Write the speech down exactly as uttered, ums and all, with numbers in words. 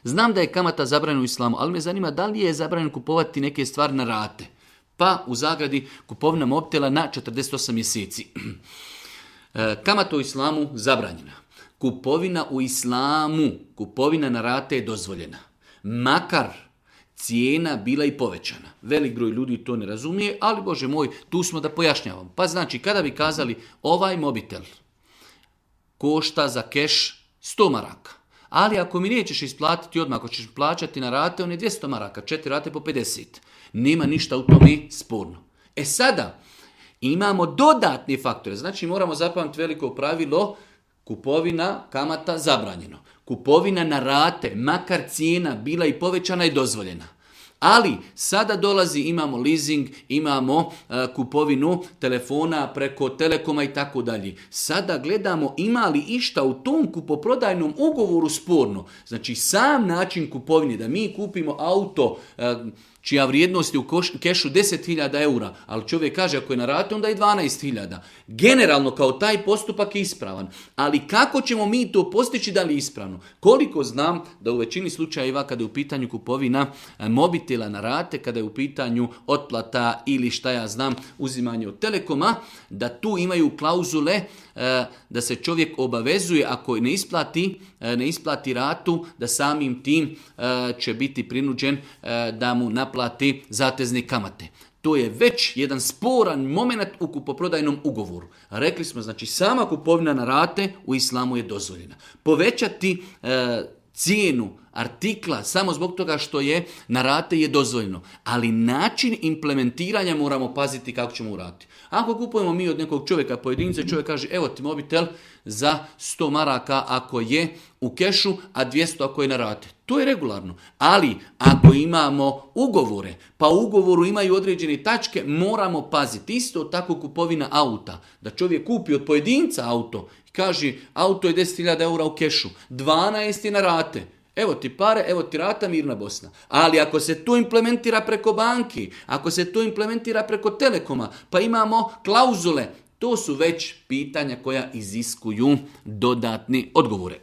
Znam da je kamata zabranjena u islamu, ali me zanima da li je zabranjeno kupovati neke stvari na rate. Pa u zagradi kupovina mobitela na četrdeset osam mjeseci. Kamata u islamu zabranjena. Kupovina u islamu, kupovina na rate je dozvoljena. Makar cijena bila i povećana. Velik broj ljudi to ne razumije, ali Bože moj, tu smo da pojašnjavamo. Pa znači, kada bi kazali ovaj mobitel košta za keš sto maraka, ali ako mi nećeš isplatiti odmah, ako ćeš plaćati na rate, on je dvjesto maraka, četiri rate po pedeset. Nema ništa u tome sporno. E sada, imamo dodatne faktore. Znači, moramo zapamtiti veliko pravilo, kupovina, kamata, zabranjeno. Kupovina na rate, makar cijena bila i povećana, je dozvoljena. Ali sada dolazi, imamo leasing, imamo uh, kupovinu telefona preko Telekoma i tako dalje. Sada gledamo ima li išta u tom kupoprodajnom ugovoru sporno. Znači sam način kupovine, da mi kupimo auto uh, čija vrijednost je u kešu deset hiljada eura, ali čovjek kaže ako je na rate onda je dvanaest hiljada. Generalno kao taj postupak je ispravan. Ali kako ćemo mi to postići da li je ispravno? Koliko znam da u većini slučajeva kada je u pitanju kupovina mobitela na rate, kada je u pitanju otplata ili šta ja znam uzimanje od Telekoma, da tu imaju klauzule da se čovjek obavezuje ako ne isplati, ne isplati ratu, da samim tim će biti prinuđen da mu naplati zatezne kamate. To je već jedan sporan moment u kupoprodajnom ugovoru. Rekli smo, znači sama kupovina na rate u islamu je dozvoljena. Povećati e, cijenu artikla samo zbog toga što je na rate je dozvoljeno. Ali način implementiranja moramo paziti kako ćemo uraditi. Ako kupujemo mi od nekog čovjeka pojedinca, čovjek kaže evo ti mobitel za sto maraka ako je u kešu, a dvjesto ako je na rate. To je regularno. Ali ako imamo ugovore, pa u ugovoru imaju određene tačke, moramo paziti. Isto tako kupovina auta. Da čovjek kupi od pojedinca auto i kaže auto je deset hiljada eura u kešu, dvanaest je na rate. Evo ti pare, evo ti rata, mirna Bosna. Ali ako se to implementira preko banki, ako se to implementira preko Telekoma, pa imamo klauzule, to su već pitanja koja iziskuju dodatne odgovore.